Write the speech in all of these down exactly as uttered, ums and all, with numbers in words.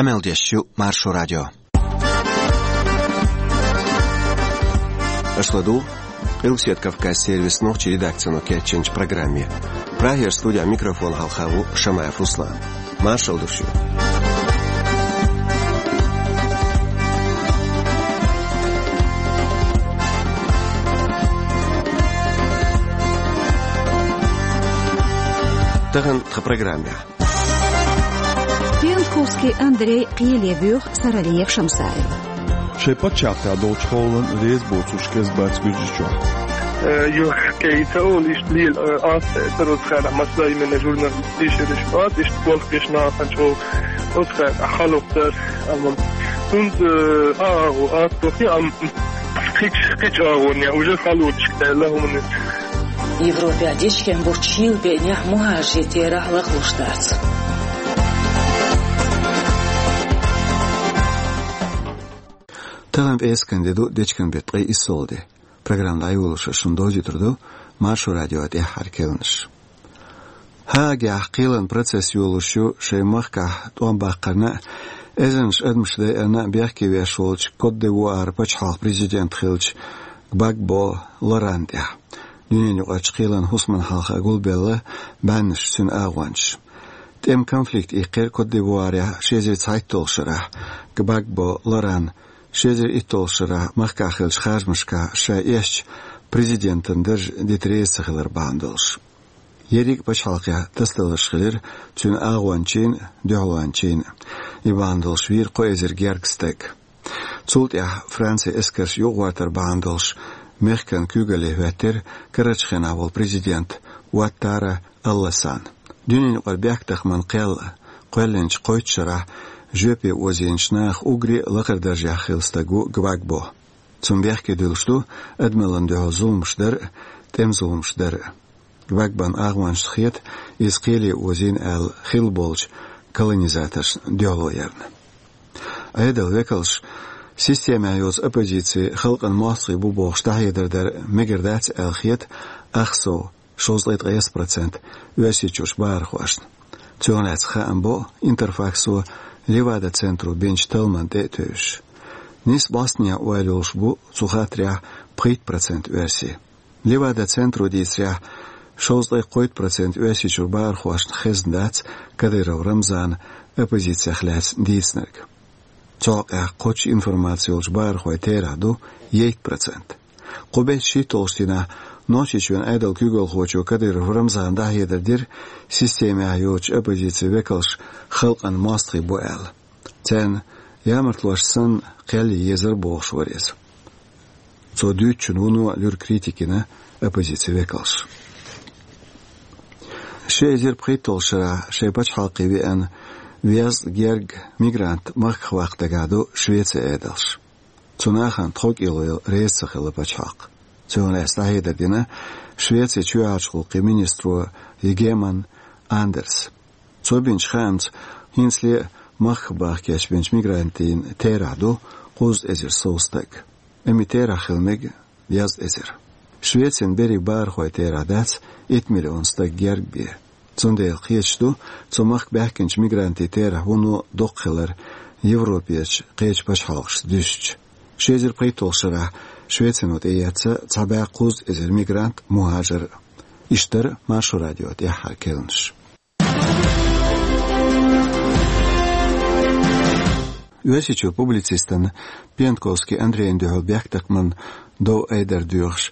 Къамел деш ю Маршо радио. Аша ладугӀу Къилбаседа Кавказан сервисан нохчийн редакцино кечйинчу программе. Прагера студехь микрофон хьалха ву Шамаев Руслан. Маршалла ду шуьга. Тахана тхан программехь. Пиянтковский Андрей кхеле воьху Саралиева Шамсаева. Шайн пачхьалкхехь долчу хьолан реза боцурш кӀезиг бац Гуьржийчохь. Э, юха кхин ца олу иштта лела, э, ас цара оцу хенахь массо а именно журналисташ, иштта болх беш нахана чӀогӀа оцу хенахь хьалха дара, амма хӀунда, э, а, а, а, а, а, кхечу, кхечу агӀонехь уже халонаш кхаьлла хӀуманаш. Европехь дечкен болчу шийла беънехь мухӀажарийн терахь лахлуш дац. Тахана пӀераскан де ду, дечкен беттан ткъе иссалгӀа де. Программа дӀайолош шуна довзуьйтур ду Маршо радион тӀаьххьара керланаш. Гаагехь кхелан процесс йолуш ю шайн махкахь тӀом баккхарна а, эзарнаш адамаш дайарна а бехке веш волчу Кот-д'Ивуаран пачхьалкхан президент хиллачу Гбагбо Лорана тӀехь. Дуьненаюкъарчу кхелан хӀусамна хьалха гулбелла бӀеннаш цуьнан агӀончаш. ТӀеман конфликт иккхира Кот-д'Ивуарехь ши эзар цхьайтталгӀачу шарахь. Гбагбо Лорана ши эзар итталгӀачу шарахь махкахь хиллачу харжамашкахь ша эшначу президентан дарж дита реза ца хилар бахьана долуш. Ерриг а пачхьалкхехь тасадаларш хилира цуьнан агӀончийн а, дуьхьалончийн а. И бахьана долуш вийра кхо эзар гергга стаг. Цул тӀаьхьа Францин эскарш юкъагӀортар бахьана долуш мехкан куьйгалле хӀоьттира карарчу хенахь волу президент Уаттара Аль-Лассана. Дуьненаюкъара бехктакхаман кхел кхоьллинчу кхойтта шарахь жоьпе озийначу нахах уггаре а лакхара даржехь хилла стаг ву Гбагбо. Цунна бехке дуьллуш ду адамаллина дуьхьал зуламаш дар а, тӀеман зуламаш дар а. Гбагбон агӀончашна хета, иза кхеле озийна аьлла хилла болчу колонизаторшна дуьхьало ярна. Ӏедалан векалш системехь йоцу оппозици халкъан мостагӀий бу бохуш дӀахьедар дар мегар дац аьлла хета ах сов, шовзткъе ткъайесна процент, Оьрсийчуьрчу бахархошна. Цунах лаьцна хаам бо Интерфаксо Левада-центро бинчу талламна тӀе а тевжаш. Нийсса бӀостанехьа ойла йолуш бу цу хаттарехь пхийтта процент оьрсий. Левада-центро дийцарехь, шовзткъе кхойтта процент Оьрсийчуьра бахархошна хезна дац Кадыров Рамзана оппозицех лаьцна дийцинарг. Цу хьокъехь кхоччуш информаци йолчу бахархойн терахь ду ейтта процент. Кху беттан шийтталгӀачу дийнахь Нохчийчоьнан Ӏедалан куьйгалхочо Кадыров Рамзана дӀахьедар дира, системехь йоцучу оппозицин векалш халкъан мостагӀий бу аьлла. Царна ямартлошна санна кхел ян езара бохуш вара иза. Цо дуьйцучунна вуно луьра критика йина оппозицин векалш. Ши эзар пхийтталгӀачу шарахь шайн пачхьалкхе веана везткъа гергга мигрант махках ваккха дагахь ду Швецин Ӏедалш. Цу нахана тховкӀело яла реза ца хилла пачхьалкх. Цунах лаьцна дӀахьедар дина Швецин чоьхьарчу гӀуллакхийн министро Йигеман Андерса. Цо бинчу хаамца, хӀинцале а махках баха кечбинчу мигрантийн терахь ду кхузткъа эзар сов стаг. Амма и терахь хила мега дезткъа эзар. Швецин берриг бахархойн терахь дац итт миллион стаг герга бен. Цундела кхеташ ду цу махка баьхкинчу мигрантийн терахь вуно доккха хилар Европерчу кхечу пачхьалкхашца дуьстича. Ши эзар пхийтталгӀачу шарахь Швецино тӀеэцна цхьа бӀе кхузткъа эзар мигрант, мухӀажар. Иштта дара Маршо радион тӀаьххьара керланаш. Оьрсийчуьра публицистана Пиянтковский Андрейна дуьхьал бехктакхаман дов-айдар доьхуш,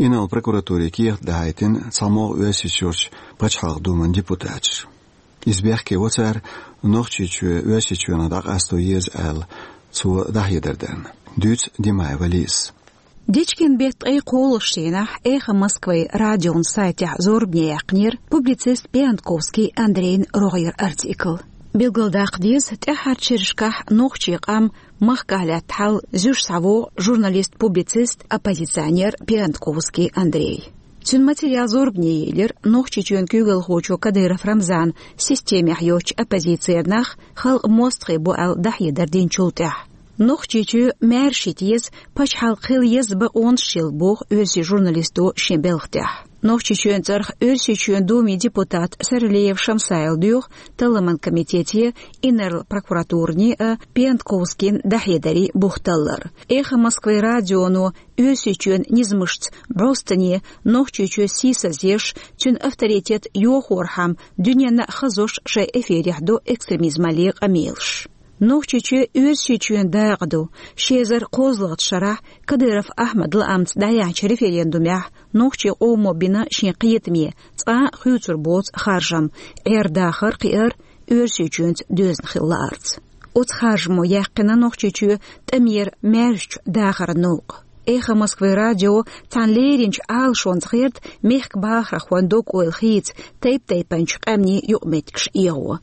инарла прокуратуре кехат дахьийтина цхьамогӀа Оьрсийчуьрчу Пачхьалкхан Думан депутаташа. Иза бехке во цара Нохчийчоь Оьрсийчоьнах дӀакъасто еза аьлла, цо дӀахьедар дарна. Дуьйцу Димаева Лизас. Дечкен беттан ткъе кхоалгӀачу дийнахь «Эхо Москвы» радион сайтехь зорбане яьккхинера публицист Пиянтковский Андрейн рогӀера артикл. Билгалдаккха деза, тӀаьххьарчу шерашкахь нохчийн къам махкахь лаьтта хьал зуьйш схьавогӀу журналист-публицист, оппозиционер Пиянтковский Андрей. Цуьнан материал зорбане елира Нохчийчоьнан куьйгалхочо Кадыров Рамзана системехь йоцчу оппозицера нах халкъан мостагӀий бу аьлла дӀахьедар динчул тӀаьхьа. Нохчийчоь маьрша хӀита еза, пачхьалкх хила еза бакъонаш йолу боху оьрсийн журналисто шен белхан тӀехь. Нохчийчоьнан цӀарах Оьрсийчоьнан Думин депутата Саралиев Шамсайла доьху Талламан комитете, инарла прокуратуране а Пиантковскийна дӀахьедарийн бух таллар. «Эхо Москвы» радионо Оьрсийчоьнан низамашца бӀостанехьа Нохчийчоь сийсазъеш, цуьнан авторитет йохорхьама дуьненна а хазош шайн эфирехь до экстремизмаллин къамелаш. Нохчийчоь Оьрсийчоьнан дакъа ду. Ши эзар кхозлагӀчу шарахь Кадыров Ахьмадан лаамца дӀаяьхьначу референдумехь нохчийн къомо бина шен кхетаме, цкъа а хуьйцур боцу харжам, Ӏер-дахар кхиар Оьрсийчоьнца доьзна хила лаарца. Оцу харжамо яьккхина Нохчийчоь тӀамера маьршачу дахаран новкъа. «Эхо Москвы» радио цхьана леринчу Ӏалашонца гӀерта мехкан бахархойн дог-ойла хийца тайп-тайпанчу къаьмнийн юкъаметтигаш эгӀо.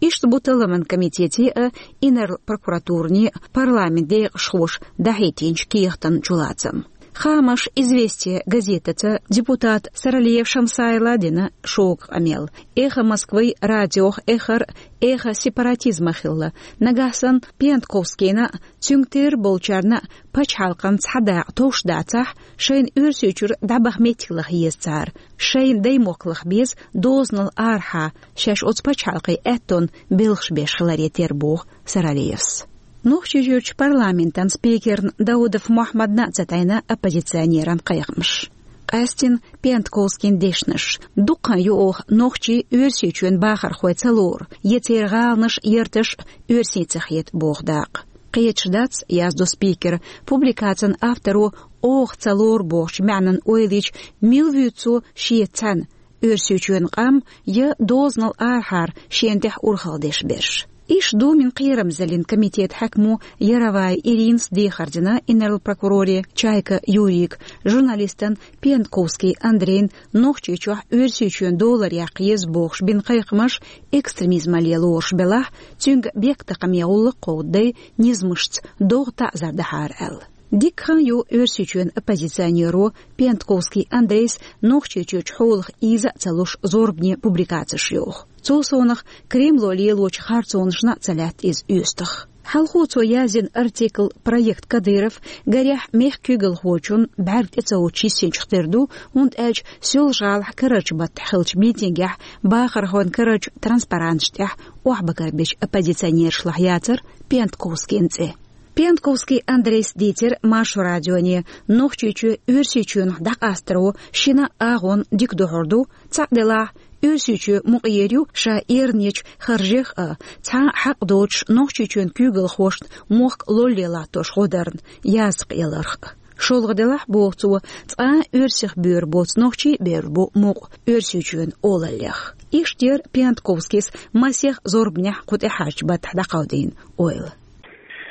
Иштта бу Талламан комитете а, инарла прокуратуране а парламентан декъашхоша дӀахӀиттинчу кехатан чулацам. Хаамаш «Известия» газетаца депутата Саралиев Шамсайла дина шога къамел. «Эхо Москвы» радиох эххар эхо сепаратизма хилла. Нагахь санна Пиантковскийна а, цуьнга тера болчарна а пачхьалкхана цхьа дакъа товш дацахь, шайна Оьрсийчуьра дӀабаха меттиг лаха еза цара, шайна даймохк лаха беза дозанал арахьа, шаьш оцу пачхьалкхийн аьттонна белхаш беш хиларе терра, боху Саралиевс. Нохчийчуьрчу парламентан спикерна Даудов Мохьмадна а ца тайна оппозиционеран кхайкхамаш. Къаьстина Пиантковскийн дешнаш: дуккха хан ю оха нохчий Оьрсийчоьнан бахархой ца лору, я церан гӀаланаш, ярташ оьрсийн ца хета, боху дакъа. Кхеташ дац, яздо спикера, публикацин авторо оха ца лору бохучу маьӀнан ойла йича, мила вуьйцу цо шеца цхьаьна, Оьрсийчоьнан къам я дозанал арахьара шена тӀехь урхалла деш берш. Иштта Думин кхерамзаллин комитетан хьаькамо Яровая Иринас дехар дина инарла прокуроре Чайка Юрийга, журналистана Пиантковский Андрейна Нохчийчохь Оьрсийчоьнан долар яккха еза бохуш бина кхайкхамаш экстремизмалле лоруш белахь, цуьнга бехктакхаме гӀуллакх кховдадай низамашца догӀа таӀзар дахьара аьлла. Дикка хан ю Оьрсийчоьнан оппозиционеро Пиантковский Андрейс Нохчийчуьрчу хьолах ийза а ца луш зорбане публикацеш йоху. Цул совнаха Кремло лелочу харцонашна а ца лаьтта иза оьстах. Хьалхо цо яздина артикл «Проект Кадыров», гарехь, мехкан куьйгалхочун бӀаьрг тӀе ца воцуш йисинчух тера ду, хӀунда аьлча Соьлжа-ГӀалахь карарчу баттахь хиллачу митингехь бахархойн карарчу транспаранташ тӀехь охьабагарбечу оппозиционерашлахь яцара Пиантковскийн цӀе. Пиантковский Андрейс дийцира Маршо радионе, Нохчийчоь Оьрсийчоьнах дӀакъастаро шина а агӀонна дика духьур ду, цхьаъ делахь, Оьрсийчоь мукъа ер ю ша эрна ечу харжех а, цхьа а хьакъ доцуш Нохчийчоьнан куьйгалхошна мохк лолле латтош гӀо дарна, язткъа яларх а. ШолгӀа делахь, боху цо, цкъа а оьрсех боьра боцу нохчий а бевр бу мукъа Оьрсийчоьнан олаллех. Иштта яра Пиантковскийс масех зорбанехь кху тӀаьхьарчу баттахь дӀакховдийна ойла.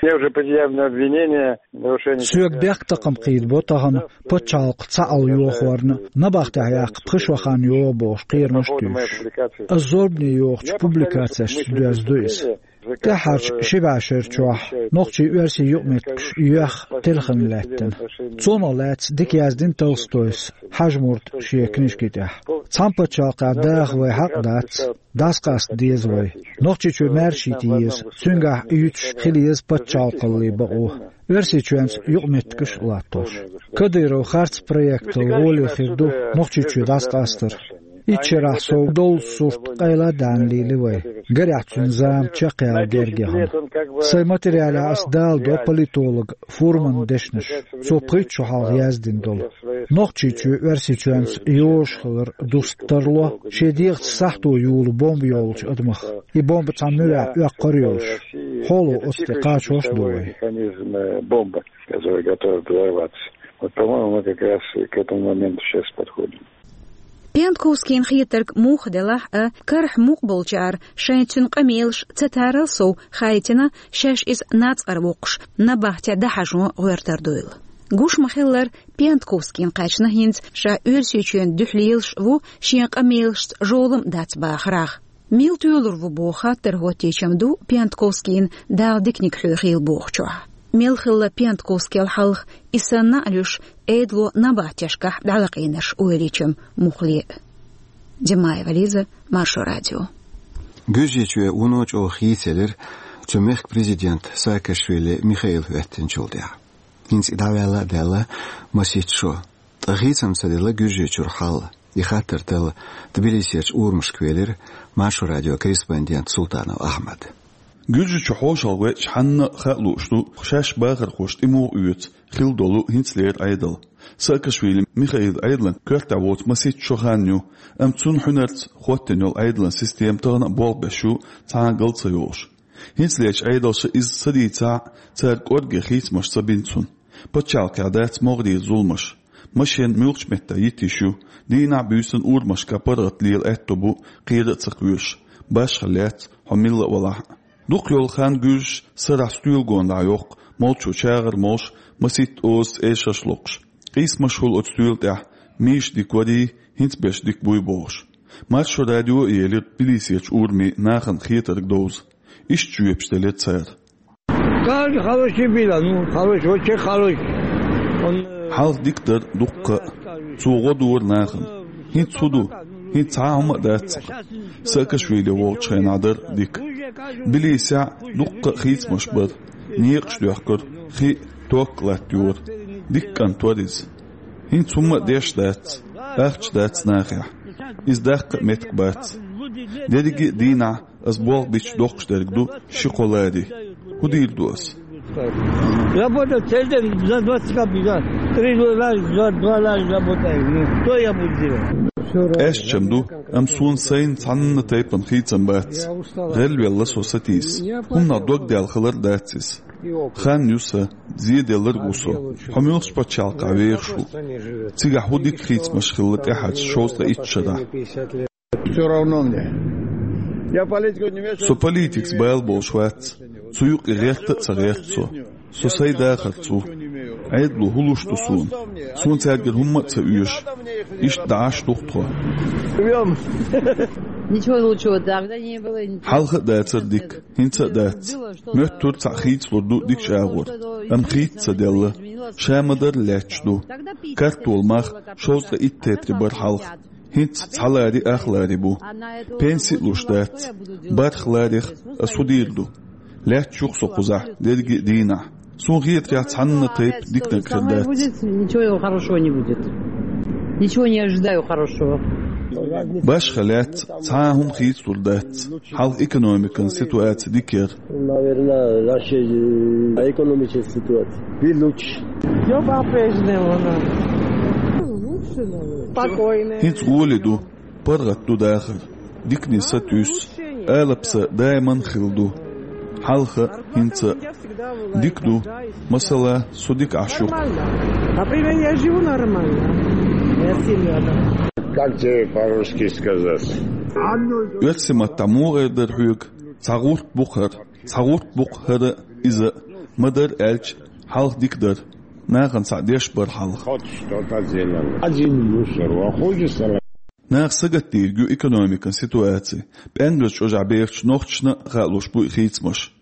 Мне уже предъявлено обвинение в нарушении... Соьга бехктакхам кхийдабо тахана пачхьалкх цхьаалла йохорна, набахтехь яккха пхи шо хан йогӀу бохуш кхерамаш а туьйсуш. Ас зорбане йохучу публикацешца доьзна ду иза. ТӀаьххьарчу ши бӀешерачохь нохчий-оьрсий юкъаметтигаш йоьхна телхина лаьттина. Цунах лаьцна дика яздина Толстойс Хьажмурда шен книжки тӀехь. Цхьана пачхьалкхехь даха вайн хьакъ дац, дӀасакъаста деза вай. Нохчийчоь маьршийта еза, цуьнгахь юьтуш хила еза пачхьалкхаллин бакъо. Оьрсийчоьнца юкъаметтигаш а латтош. Кадыров харц проектал гӀоле хир ду Нохчийчоь дӀасакъастар. Итт шарахь сов доллу сурт къайла а даьнна лийли вай. Гарехь, цуьнан зама чекхъяла герга яхана. Сайн материалехь ас даладо политолог Фурманан дешнаш, цо пхийтта шо хьалха яздина долу. Нохчийчоь Оьрсийчоьнца йозуш хилар дуста тарло шен дегӀаца сахьто юлу бомба йолчу адамах, и бомба цхьана муьрехь оьккхур а йолуш. Хьоло оцу тӀе кхачош а ду вай. Механизм, э, бомбы, который готов взорваться. Вот, по-моему, мы как раз к этому моменту сейчас подходим. Пиантковскийна хетарг муха делахь а, карахь мукъа болчара шайн цуьнан къамелаш ца тарал сов хаийтина, шаьш иза нацкъара воккхуш, набахте дӀахьажо гӀоьртар дуйла. Гуш ма-хиллара, Пиантковскийна кхаьчна хӀинца ша Оьрсийчоьнан дуьхьа лелаш а ву, шен къамелашца жолам а дац бахарах. Мила тоьлур ву боху хаттар хӀоттийчам ду Пиантковскийна Дала диканиг хьоьхийла бохучохь. Мел хилла Пиантковскийла хьалха, и санна а луьйш, Ӏедало набахтешкахь дӀалакъийнарш ойла йичам муххале а. Димаева Лиза, Маршо радио. Гуьржийчоь вуно чӀогӀа хийцаелира цу мехкан президент Саакашвили Михаил хӀоьттинчул тӀаьхьа. ХӀинца и дӀаваьлла а даьлла масийтта шо. Ткъа хийцам ца делла Гуьржийчуьра хьал. И хаттар тала Тбилисерчу урамашка велира Маршо радион корреспондент Султанов Ахьмад. Гуьржичу хьошалгӀа веача хьанна а хаа лууш ду, шаьш бахархоша тӀе муха оьцу хилла долу хӀинцалера Ӏедал. Саакашвили Михаил Ӏедалан коьртехь воцу масийтта шо хан ю, амма цунна хьуьнарца хӀоттийна йолу Ӏедалан система тахана а болх беш ю цхьа а гал ца йолуш. ХӀинцалерчу Ӏедалша иза ца дийцахь а, цара кӀорге хийцамаш ца бина цунна. Пачхьалкхехь дац могӀарера зуламаш. Машен муьлххачу меттехь йита йиш ю, дийнахь а буьйсанна а урамашкахь паргӀат лела аьтто бу, кхера а ца кхоьруш. Башха лаьцна, хьо милла а валахь а. Дукха йолу хан гуьржаш сарахь стоьла гонах йоккху, молчо чагӀар молуш, масийтта озаца эшарш локхуш. Къийсамаш хуьлу оцу стоьла тӀехь, миша дика варий, хӀинца берш дика буй бохуш. Маршо радио а елира Тбилисерчу урамийн нахана хетарг довза. Иштта жоьпаш делира цара. Как хороший был, ну, хороший, вообще хороший. Он, э, Хьалха дика дара дуккха а. Цо гӀо дора нахана. ХӀинца хӀун ду? ХӀинца цхьа а хӀума а дац-кх. Саакашвили волчу хенахь дара дика. Тбилисехь дуккха а хийцамаш бара. Некъаш доьхкура, хи а, ток а латтайора. Дика кӀант вара иза. ХӀинца хӀумма а деш дац, ахча дац нахехь. Иза даккха а меттиг бац. Дерриге а дийнахь ас болх бича доккхуш дерг ду ши-кхо лари. ХӀун дийр ду ас? Работа целый день за двадцать копеек, да. Три раза, два, два раза работаем. Ну, что я буду делать? Аьшчам ду, амма суна сайна цхьанна тайпана хийцам бац. ГӀелвелла со сатийса. ХӀуманах дог даьлла хилар дац иза. Хан ю сан, зеделларг ву со. Хьо муьлххачу пачхьалкхехь вехаш ву? Цигахь хӀун дика хийцамаш хилла тӀаьхьарчу шовзткъе итт шарахь? Всё равно мне. Я политику не вмешиваюсь. Со политикаца бала болуш вац. Цу юкъе гӀерта а ца гӀерта со. Со сайн дахарца ву. Ӏедало хӀун луш ду суна? Суна цаьргара хӀумма а ца оьшу. Иштта дӀа Ӏаш ду-кх тхо. Живём. Ничего лучшего тогда не было. Хьалха а дацара дика, хӀинца а дац. Моьттура цхьаъ хийцалур ду дикачу агӀор, амма хийца ца делла. Ша ма-дарра лаьтташ ду. Картолан мах шовзткъе итт тетри бара хьалха. ХӀинца цхьа лари ах лари бу. Пенси а луш дац. БархӀ ларех ас хӀун дийр ду? Лаьтташ ю-кх со кхузахь дерриге а дийнахь. Суна хетарехь, цхьанна а тайпа диканиг хир дац. Ничего хорошего не будет. Ничего не ожидаю хорошего. Башха лаьцна цхьа а хӀума хийцалур дац. Хьалха экономикан ситуаци дика яра. Наверное, наша, э, экономическая ситуация будет лучше. Всё по-прежнему, ну. Спокойно. ХӀинца гӀоли ду, паргӀат ду дахар. Дикане сатуьйсу, алапса даиман хилла ду. Хьалха, хӀинца. Дика ду, масала, со дика Ӏаш ю. Нормально. Например, я живу нормально. Я семья, да. Как тебе по-русски сказать? Оьрсийн маттахь муха эр дара хьоьга? Цхьа гӀурт бу-кх хӀара, цхьа гӀурт бу-кх хӀара, иза. Ма-дарра аьлча, хьалха дика дара. Нахана цхьаъ деш бара хьалха. Хоть что-то делал. Один мусор, а хуже стало. Наха сагатдийриг ю экономикан ситуаци. ПӀенгазчу ожахь бехачу нохчашна а хаалуш бу и хийцамаш.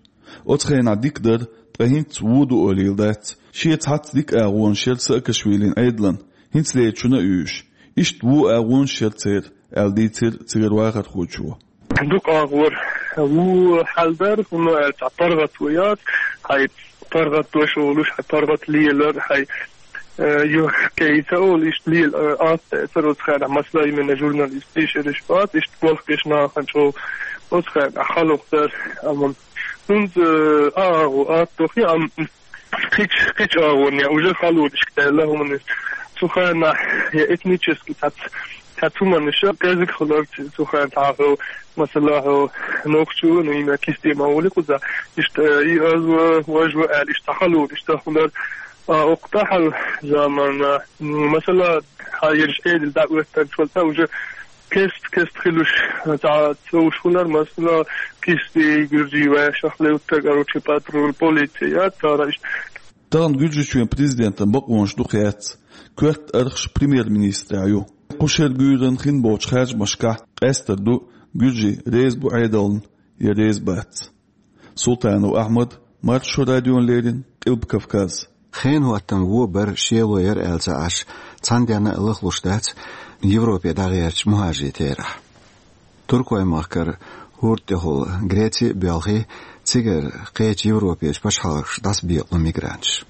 Оцу хенахь дика дара, ткъа хӀинца вон ду олийла дац. Шен цхьацца дика агӀонаш яра Саакашвилин Ӏедалан, хӀинцалерчунна а оьшуш. Иштта вон агӀонаш яра церан, аьлла дийцира цигара вахархочо. Дукха агӀор вон хьал дара, хӀунда аьлча паргӀат ву яц, хьайн паргӀат дош волуш, хьайн паргӀат лелар, хьайн, э, юьхь кхайса олу, иштта лела, э, атта эцар оцу хенахь, масала, именно журналист, эшарш бац, иштта болх беш нахана чӀогӀа оцу хенахь хьалха дара, амма хӀинца, э, агӀо атта хи, амма кхич-, кхича агӀонехь уже халонаш кхаьлла хӀуманаш. Цу хенахь я этнически цхьацца, цхьацца хӀуманаш кӀезиг хилар цу хенахь хьо, масала, хьо нохчо, ну, имя кисте ма волу кхуза. Иштта, э, и аз ва, вож ва аьлла, иштта халонаш цхьа хилар, а, окху тӀаьхьал заманна, м, масала, хьан ерш Ӏедал дӀа оьттарчул тӀаьхьа уже кест-кест хилуш, цхьа цӀовш хилар, масала, кисти, гуьржий вешах левттар, короче, патруль, полиция, цара иштта. Тахана Гуьржийчоьнан президентан бакъонаш дукха яц, коьрта архаш премьер-министрехь ю. Кху шеран гуьйранна хин болчу харжамашкахь къаьстар ду, гуьржий реза бу Ӏедална я реза бац. Султанов Ахьмад, Маршо радиона леррина, Къилба Кавказ. Хенан хӀоттам вон бар, шело яра аьлла ца Ӏаш, цхьана денна а лахлуш дац Европе дӀагӀертачу мухӀажирийн терахь. Туркойн махкара хӀорда тӀехула Греци а боьлхий, цигара кхечу Европерчу пачхьалкхашка дӀасабекъало мигранташ.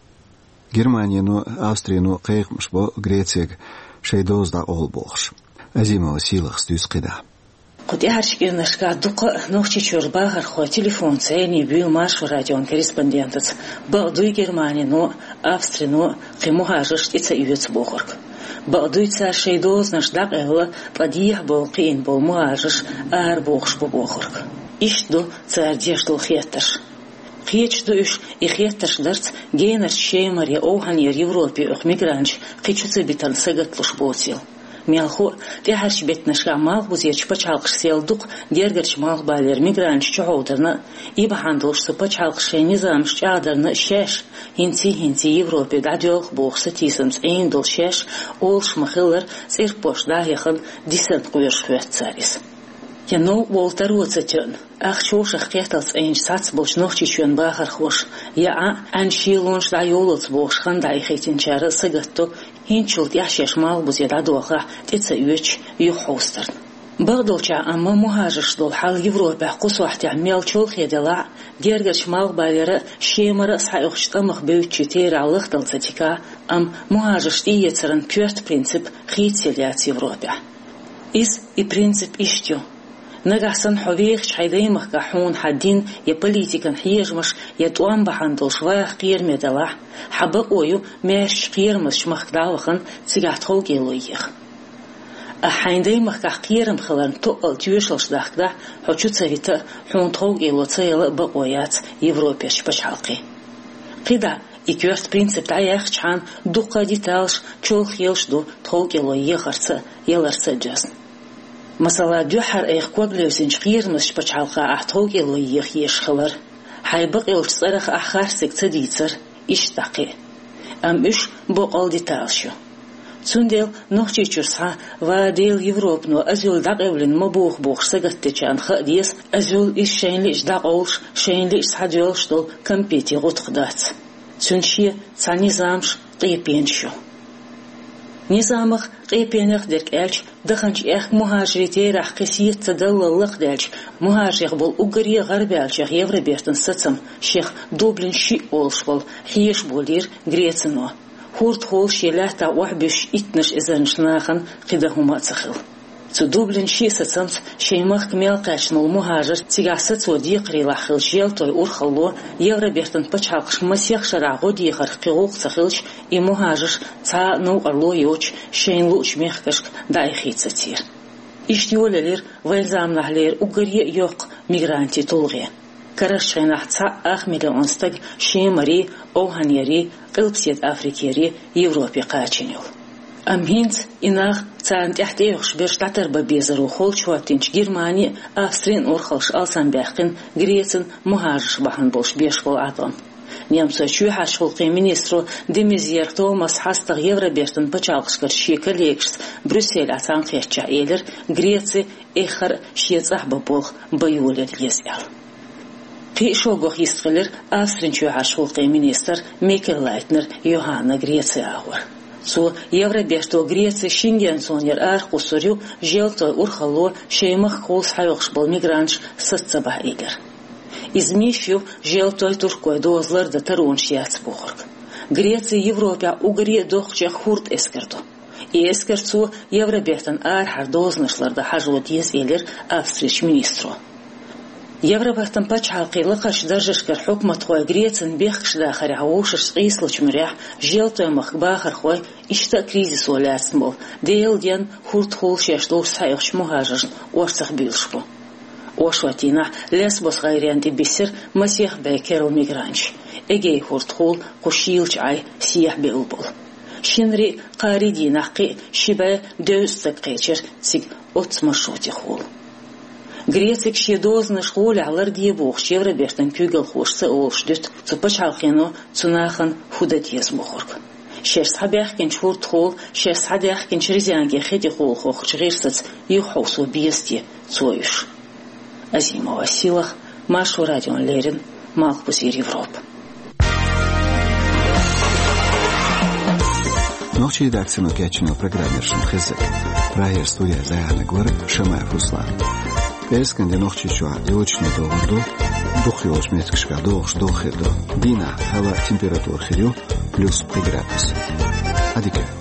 Германино, Австрино кхайкхамаш бо Грецега шайн доза дӀакъовла бохуш. Азимова Сийлахас дуьйцу кхидӀа. Кху тӀаьхьарчу кӀирнашкахь дуккха а Нохчийчуьра бахархой телефонца зӀене буьйлу Маршо радион корреспондентаца, бакъ дуй Германино а, Австрино а кхин мухӀажарш тӀе ца оьцу бохург. Бакъ дуй цара шайн дозанаш дӀакъевлла, ткъа дехьа бовла кхиъна болу мухӀажарш арабохуш бу бохург. Иштта ду цара деш долу хеттарш. Кхеташ ду уьш, и хеттарш дарца генарчу Шемара я Овхьанера Европе оьху мигранташ кхин чу ца битарна сагатлуш боцийла. Мелхо а, тӀаьхьарчу беттанашкахь Малхбузерчу пачхьалкхаша сел дукха гергарчу Малхбалера мигранташ чухьовдарна а, и бахьана долуш цу пачхьалкхаша шайн низамаш чӀагӀдарна а шаьш хӀинций-хӀинций Европе дӀадоьлху бохуш сатийсамца Ӏийна долу шаьш олуш ма-хиллара, цӀерпошка дӀа а хьехна, дисарна кхоьруш хӀоьтту цара иза. Я новкъа волу таро ца тоьъна, ах чошах кхеталц Ӏийначу цхьацца болчу Нохчийчоьнан бахархоша, я Ӏа, Ӏаьнан шелонаш дӀайолалц бохуш хан дӀахӀиттинчара сагатдо, хӀинцачул тӀаьхьа шаьш Малхбузе дӀадохахь тӀе ца оьцуш юхахьовсарна. Бакъдолчехь амма мухӀажарш долу хьал Европехь кху сохьтехь мел чолхе делахь а, гергарчу Малхбалера а, Шемара а схьаоьхучу тӀамах буьйцучийн терахь лахдала ца дикахь а, амма мухӀажарш тӀеэцаран коьрта принцип хийцаелла яц Европехь. Иза, и принцип иштта ю: нагахь санна хьо вехачу хьайн даймахкахь хьуна хьан дин я политикан хьежамаш я тӀом бахьана долуш ваха кхераме делахь, хьан бакъо ю маьршачу кхерамазчу махка дӀа а вахана, цигахь тховкӀело еха. Ахь хьайн даймахкахь кхерам хиларна тоъал тоьшаллаш дахкадахь, хьо чу ца вита а, хьуна тховкӀело ца яла а бакъо яц Европерчу пачхьалкхийн. КхидӀа и коьрта принцип дӀаяьхчахьана, дуккха а деталаш чолхе йолуш ду тховкӀело ехарца а, яларца а доьзна. Масала, дуьххьара айхьа ког левзинчу кхерамазчу пачхьалкхахь ахь тховкӀело еха езаш хилар, хьайн бакъйолчу цӀарах ахь харцдерг ца дийцар, иштта дӀа кхин а. Амма уьш боккъал деталаш ю. Цундела Нохчийчуьра схьа «Ва, Дела, Европано азуьлла дӀакъевлина ма боху» бохуш сагатдечарна хаа деза, азуьлла иза шайна лиъча дӀакъовлуш, шайна лиъча схьадоьллуш долу кампетийн гӀутакх дац. Цуьнан шен цхьа низамаш, къепенаш ю. Низамах, къепенех дерг аьлча, даханчу аьхка мухӀажарийн терахь кхин сета ца даллал лакхадаьлча, мухӀажарех болу уггаре а гӀарабаьллачех Евробертан сацам, шех Дублин шиъ олуш болу, хьеша болийра Грецино. ХӀордахула шен лаьттахь охьабуьссуш иттанаш эзарнаш нахана кхин дан хӀума а ца хилла. Цу Дублин шиъ сацамца шайн махка мел кхаьчна волу мухӀажар, цигахь сацо декхарийлахь хилла желтой урхалло, Евробертан пачхьалкхаша масех шарахь гӀо дехарх кхин гӀуллакх ца хилча, и мухӀажарш цхьа а новкъарло йоцуш шайна луучу мехкашка дӀаихийта сацийра. Иштта йолаелира вайн заманахьлера уггаре а йоккха мигрантийн тулгӀе. Карарчу хенахь цхьаъ ах миллион стаг Шемарий, Овхьанерий, Къилбаседа Африкерий Европе кхачийна йолу. Амма хӀинца и нах, царна тӀаьхьа тӀеоьхуш берш дӀатарбан безаро холчу хӀоттийначу Германин а, Австрин а урхаллаш алсамбаьккхина Грецин мухӀажарш бахьана болуш беш болу Ӏаткъам. Немцойн чоьхьарчу гӀуллакхийн министро де Мезьер Томаса хьастагӀа Евробертан пачхьалкхашкарчу шен коллегашца Брюсселехь цхьаьнакхеттачохь элира, Греци эххар а шен цӀахь бан болх бан йолаелла еза аьлла. Кхин а шоггах йистхилира Австрин чоьхьарчу гӀуллакхийн министр Микеллайтнер Йоханна Греци агӀор. Цо Евроберто Греци Шенген зонера арахкхуссур ю желтойн урхалло шайн махкахула схьайоккхуш болу мигранташ саца ца бахьа элира. Иза миш ю желтойн, туркойн доза лардан таронаш яц бохург. Греци Европехь уггаре а доккхачех хӀорд эскар ду. И эскарца Евробертан арахьара дозанаш лардан хьажо деза, элира Австрерчу министро. Евробертан пачхьалкхийн лакхарчу даржашкара хьукматхой Грецин бехкаш дахарехь вовшашца къийсалучу муьрехь желтойн махка бахархой иштта а кризисо лаьцна болу, Делан денна хӀордахула шаьш долуш схьаоьхучу мухӀажаршна орцах буьйлуш бу. Оршотдийнахь Лесбос гӀайрен тӀе биссира масех бӀе керла мигранташ, Эгей хӀордахула кху шийлачу Ӏай сехьа бевлла болу. Шинарий а, кхаарий а дийнахь кхин а ши бӀе дезткъа стаг кхечира цига оццу маршрутехула. Грецига шен дозанаш гӀолехь ларде бохучу Евробертан куьйгалхоша ца олуш дуьту цу пачхьалкхено цу нахана хӀун дан деза бохург. Шаьш схьабаьхкинчу хӀордахула, шаьш схьадаьхкинчу резенге хи тӀехула хохучу гӀирсаца юхахьовсо беза те цо уьш? Азимова Сийлаха, Маршо радиона леррина, Малхбузера Европа. Нохчийн редакцино кечйина программа яра шуна хезнарг. Прагера студехь зӀене вара Шамаев Руслан. ПӀераскан де Нохчийчохь йочане догӀур ду, дукхах йолчу меттигашкахь догӀуш догӀа хир ду. Дийнахь хӀаваан температура хир ю плюс пхи градус. Ӏадика.